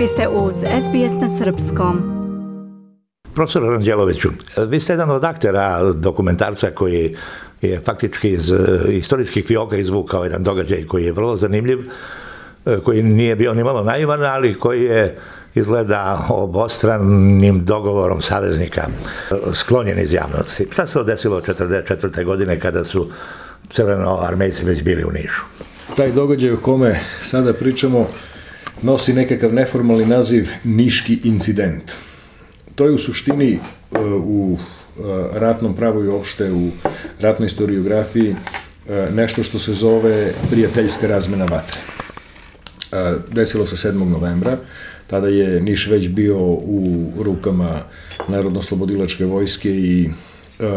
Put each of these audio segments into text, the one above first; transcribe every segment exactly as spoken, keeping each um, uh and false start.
Vi ste uz S B S na srpskom. Profesor Ranđeloviću, vi ste jedan od aktera dokumentarca koji je faktički iz istorijskih fioka izvukao jedan događaj koji je vrlo zanimljiv, koji nije bio ni malo naivan, ali koji je izgleda obostranim dogovorom saveznika sklonjen iz javnosti. Šta se desilo četrdeset četvrte godine kada su crvenoarmejci već bili u Nišu? Taj događaj o kome sada pričamo nosi nekakav neformalni naziv Niški incident. To je u suštini u ratnom pravu i uopšte u ratnoj historiografiji nešto što se zove prijateljska razmena vatre. Desilo se sedmog novembra, tada je Niš već bio u rukama Narodno-oslobodilačke vojske i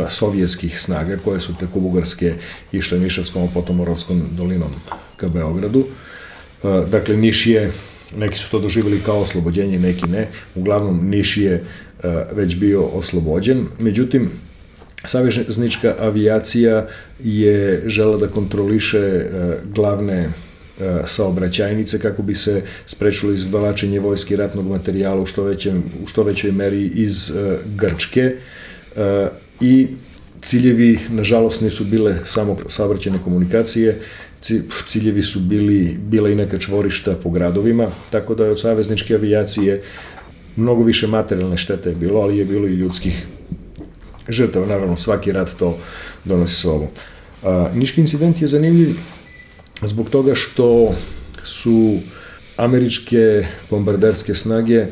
sovjetskih snaga koje su preko Bugarske išle Nišavskom, a potom Moravskom dolinom ka Beogradu. Dakle, Niš je, neki su to doživjeli kao oslobođenje, neki ne. Uglavnom, Niš je već bio oslobođen. Međutim, saveznička avijacija je želela da kontroliše glavne saobraćajnice kako bi se sprečilo izvlačenje vojske i ratnog materijala u što, većem, u što većoj meri iz Grčke. I ciljevi, nažalost, nisu bile samo saobraćajne komunikacije, ciljevi su bili, bila i neka čvorišta po gradovima, tako da je od savezničke avijacije mnogo više materijalne štete je bilo, ali je bilo i ljudskih žrtava. Naravno, svaki rat to donosi sobom. Niški incident je zanimljiv zbog toga što su američke bombarderske snage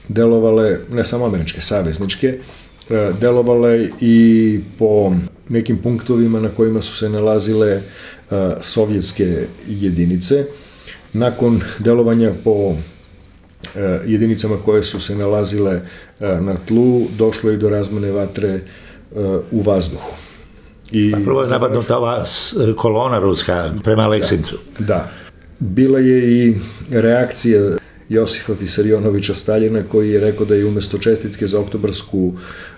delovale, ne samo američke, savezničke, delovale i po nekim punktovima na kojima su se nalazile sovjetske jedinice. Nakon delovanja po jedinicama koje su se nalazile na tlu, došlo je do razmene vatre u vazduhu. I prvo je napadnuta ova kolona ruska prema Aleksincu. Da, da. Bila je i reakcija Josifa Visarionovića Staljina, koji je rekao da je umesto čestitke za oktobarsku,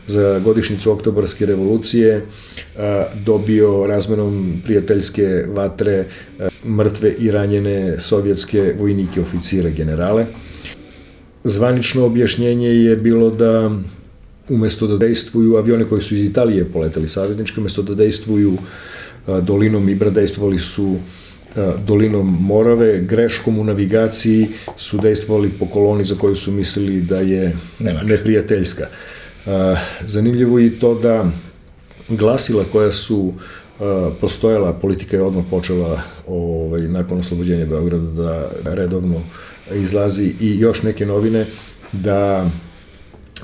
za godišnjicu oktobarske revolucije dobio razmenom prijateljske vatre mrtve i ranjene sovjetske vojnike, oficire, generale. Zvanično objašnjenje je bilo da umesto da dejstvuju avione koji su iz Italije poleteli saveznički, umesto da dejstvuju dolinom Ibra, dejstvovali su dolinom Morave, greškom u navigaciji su dejstvovali po koloni za koju su mislili da je neprijateljska. Zanimljivo je i to da glasila koja su postojala, politika je odmah počela ovaj, nakon oslobođenja Beograda da redovno izlazi i još neke novine da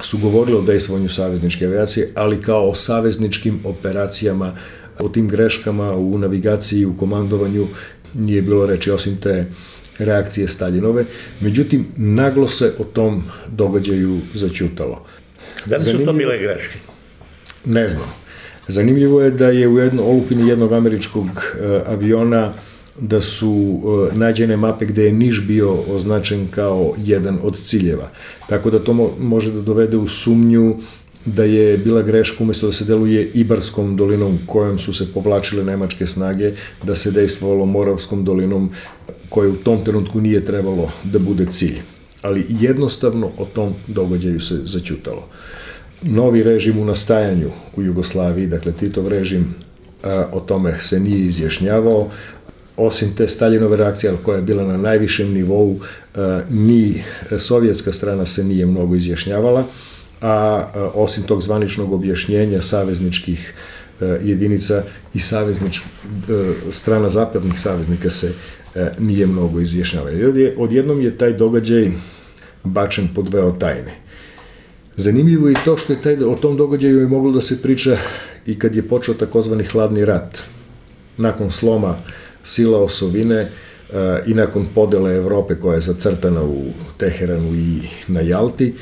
su govorili o dejstvovanju savezničke avijacije, ali kao o savezničkim operacijama, o tim greškama u navigaciji i u komandovanju nije bilo reči osim te reakcije Staljinove. Međutim, naglo se o tom događaju zaćutalo. Da li su to bile greške? Ne znam. Zanimljivo je da je u jedno, olupini jednog američkog aviona da su nađene mape gde je Niš bio označen kao jedan od ciljeva. Tako da to može da dovede u sumnju da je bila greška umesto da se deluje Ibarskom dolinom kojom su se povlačile nemačke snage, da se dejstvovalo Moravskom dolinom koje u tom trenutku nije trebalo da bude cilj. Ali jednostavno o tom događaju se zaćutalo. Novi režim u nastajanju u Jugoslaviji, dakle Titov režim, o tome se nije izjašnjavao. Osim te Staljinove reakcije koja je bila na najvišem nivou, ni sovjetska strana se nije mnogo izjašnjavala, a osim tog zvaničnog objašnjenja savezničkih jedinica i saveznič, strana zapadnih saveznika se nije mnogo izjašnjavala. Odjednom je taj događaj bačen pod veo tajne. Zanimljivo je i to što je taj, o tom događaju je moglo da se priča i kad je počeo takozvani hladni rat. Nakon sloma sila osovine i nakon podele Evrope koja je zacrtana u Teheranu i na Jalti,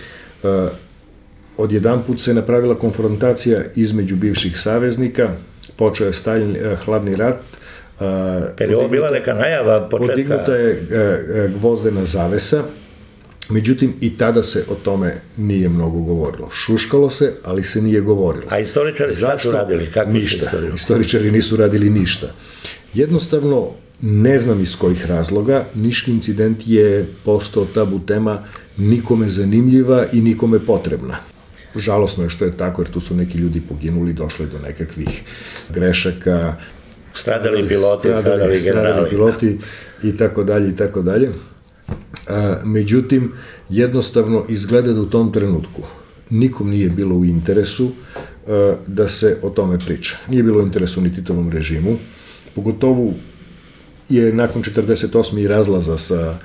odjedanput se napravila konfrontacija između bivših saveznika, počeo je Staljin, hladni rat. Je li ovo bila neka najava početka? Podignuta je gvozdena zavesa, međutim i tada se o tome nije mnogo govorilo. Šuškalo se, ali se nije govorilo. A istoričari šta su radili? Kako ništa. Istoričari nisu radili ništa. Jednostavno, Ne znam iz kojih razloga, Niški incident je postao tabu tema, nikome zanimljiva i nikome potrebna. Žalosno je što je tako, jer tu su neki ljudi poginuli, došli do nekakvih grešaka, Stradali piloti, stradali, stradali generali. Stradali piloti i tako dalje i tako dalje. Međutim, jednostavno izgleda da u tom trenutku nikom nije bilo u interesu da se o tome priča. Nije bilo u interesu ni Titovom režimu, pogotovo je nakon četrdeset osme i razlaza sa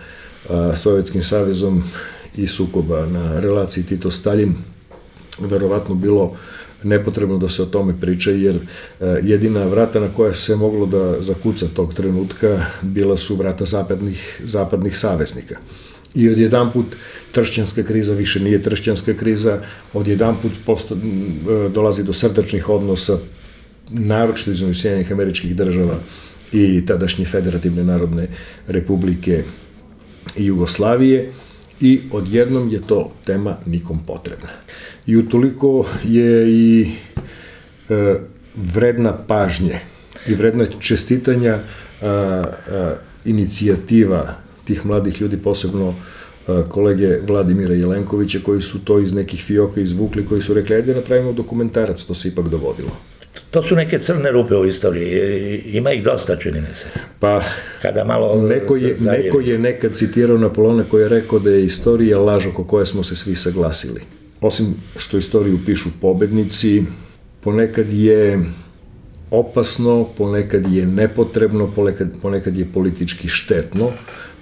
Sovjetskim savezom i sukoba na relaciji Tito-Stalin verovatno bilo nepotrebno da se o tome priča, jer jedina vrata na koja se moglo da zakuca tog trenutka bila su vrata zapadnih, zapadnih saveznika. I odjedanput tršćanska kriza više nije tršćanska kriza, odjedanput posto, dolazi do srdačnih odnosa, naročito između Sjedinjenih Američkih Država i tadašnje Federativne Narodne Republike i Jugoslavije, i odjednom je to tema nikom potrebna. I utoliko je i e, vredna pažnje i vredna čestitanja a, a, inicijativa tih mladih ljudi, posebno a, kolege Vladimira Jelenkovića, koji su to iz nekih fioka izvukli, koji su rekli, ajde napravimo dokumentarac, to se ipak dogodilo. To su neke crne rupe u istoriji, ima ih dosta, čini mi se. Pa, Kada malo neko je, neko je nekad citirao Napoleona koji je rekao da je istorija laž oko koje smo se svi saglasili. Osim što istoriju pišu pobednici, ponekad je opasno, ponekad je nepotrebno, ponekad, ponekad je politički štetno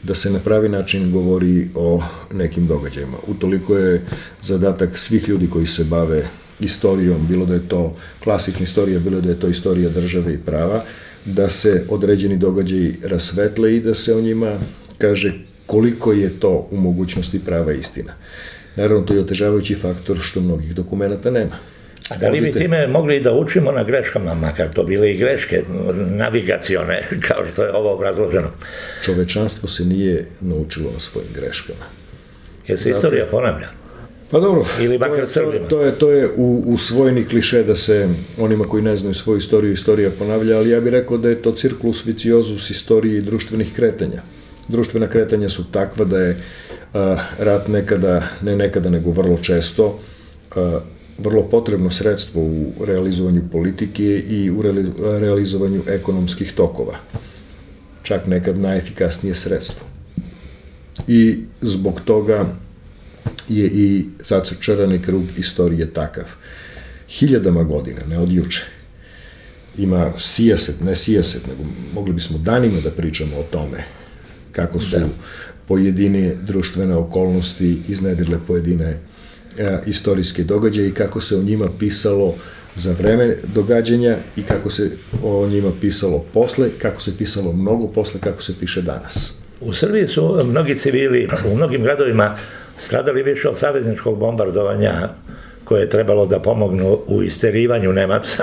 da se na pravi način govori o nekim događajima. Utoliko je zadatak svih ljudi koji se bave istorijom, bilo da je to klasična istorija, bilo da je to istorija države i prava, da se određeni događaji rasvetle i da se o njima kaže koliko je to u mogućnosti prava istina. Naravno, to je otežavajući faktor što mnogih dokumenta nema. A da li bi time mogli da učimo na greškama, makar to bile i greške navigacione, kao što je ovo obrazloženo? Čovečanstvo se nije naučilo na svojim greškama. Jer se istorija ponavlja. Pa dobro, Ili to, je, to, to je, to je u, usvojeni kliše da se onima koji ne znaju svoju istoriju, istorija ponavlja, ali ja bih rekao da je to cirkulus viciozus istorije i društvenih kretanja. Društvena kretanja su takva da je a, rat nekada, ne nekada, nego vrlo često, a, vrlo potrebno sredstvo u realizovanju politike i u realizovanju ekonomskih tokova. Čak nekad najefikasnije sredstvo. I zbog toga je i zacrčarani krug istorije takav. Hiljadama godina, ne od juče, ima sijaset, ne sijaset, nego mogli bismo danima da pričamo o tome kako su da. pojedine društvene okolnosti iznedrile pojedine a, istorijske događaje i kako se o njima pisalo za vreme događanja i kako se o njima pisalo posle, kako se pisalo mnogo posle, kako se piše danas. U Srbiji su mnogi civili u mnogim gradovima stradali više od savezničkog bombardovanja koje je trebalo da pomognu u isterivanju Nemaca,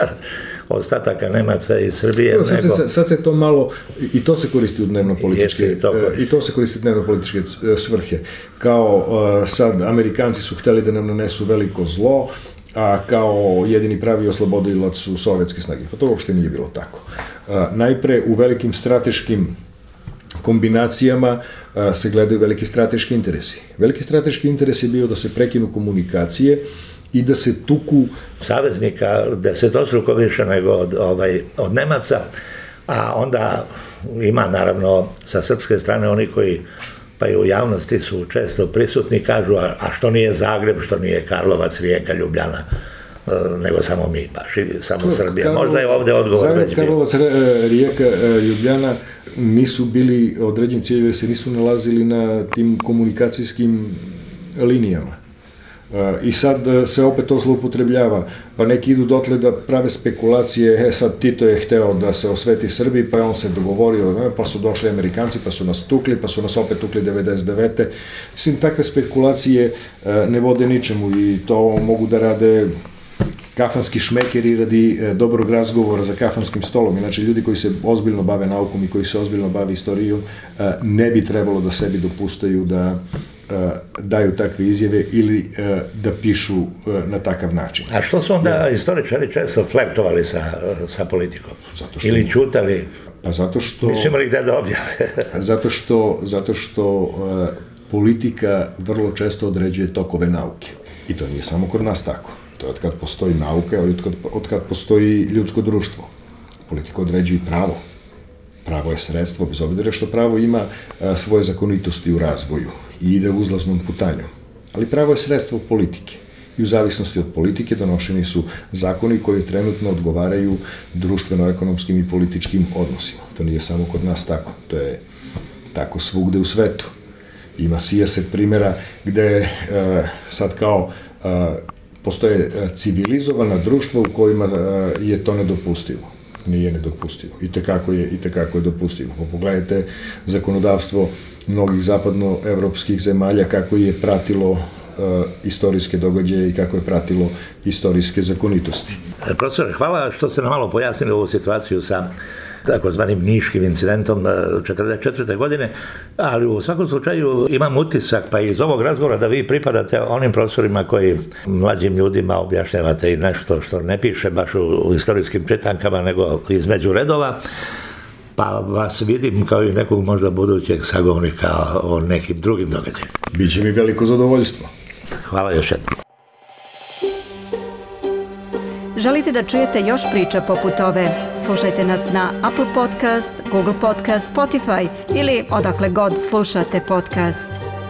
ostataka Nemaca iz Srbije. Sad se, nego... sad se to malo, i to se koristi u dnevno-političke, i to, i to se koristi u dnevno-političke svrhe. Kao sad, Amerikanci su hteli da nam nanesu veliko zlo, a kao jedini pravi oslobodilac su sovjetske snage. Pa to uopšte nije bilo tako. Najpre, u velikim strateškim kombinacijama a, se gledaju veliki strateški interesi. Veliki strateški interes je bio da se prekinu komunikacije i da se tuku saveznika desetostruko više nego od, ovaj, od Nemaca, a onda ima naravno sa srpske strane oni koji pa i u javnosti su često prisutni, kažu a, a što nije Zagreb, što nije Karlovac, Rijeka, Ljubljana, nego samo mi, baš i samo Srbija. Karlo, Možda je ovde odgovor Zagreb, već bio. Karlovac, Rijeka, Ljubljana nisu bili određeni ciljevi, se nisu nalazili na tim komunikacijskim linijama. I sad se opet to zloupotrebljava, pa neki idu dotle da prave spekulacije, e sad Tito je hteo da se osveti Srbiji, pa je on se dogovorio, pa su došli Amerikanci, pa su nas tukli, pa su nas opet tukli devedeset devete. Mislim, takve spekulacije ne vode ničemu i to mogu da rade kafanski šmekeri radi dobrog razgovora za kafanskim stolom. Inače, ljudi koji se ozbiljno bave naukom i koji se ozbiljno bave istorijom ne bi trebalo da sebi dopustaju da daju takve izjave ili da pišu na takav način. A što su onda ja. istoričari često flirtovali sa, sa politikom? Zato što, ili ćutali? Pa zato što... Nisu imali gde da objave. zato što, zato što uh, politika vrlo često određuje tokove nauke. I to nije samo kod nas tako. To je od kad postoji nauka, od kad, od kad postoji ljudsko društvo. Politika određuje pravo. Pravo je sredstvo, bez obzira što pravo ima a, svoje zakonitosti u razvoju i ide uzlaznom putanjom. Ali pravo je sredstvo politike. I u zavisnosti od politike donošeni su zakoni koji trenutno odgovaraju društveno-ekonomskim i političkim odnosima. To nije samo kod nas tako. To je tako svugde u svetu. Ima sijaset primjera gde e, sad kao e, postoje civilizovana društva u kojima e, je to nedopustivo. Nije nedopustivo. I tekako je, i tekako je dopustivo. Pogledajte zakonodavstvo mnogih zapadnoevropskih zemalja kako je pratilo uh, istorijske događaje i kako je pratilo istorijske zakonitosti. Profesor, hvala što ste nam malo pojasnili ovu situaciju sa takozvanim niškim incidentom četrdeset četvrte godine, ali u svakom slučaju imam utisak pa iz ovog razgovora da vi pripadate onim profesorima koji mlađim ljudima objašnjavate i nešto što ne piše baš u, u istorijskim čitankama nego između redova, pa vas vidim kao i nekog možda budućeg sagovornika o nekim drugim događajima. Biće mi veliko zadovoljstvo. Hvala još jednom. Želite da čujete još priča poput ove? Slušajte nas na Apple Podcast, Google Podcast, Spotify ili odakle god slušate podcast.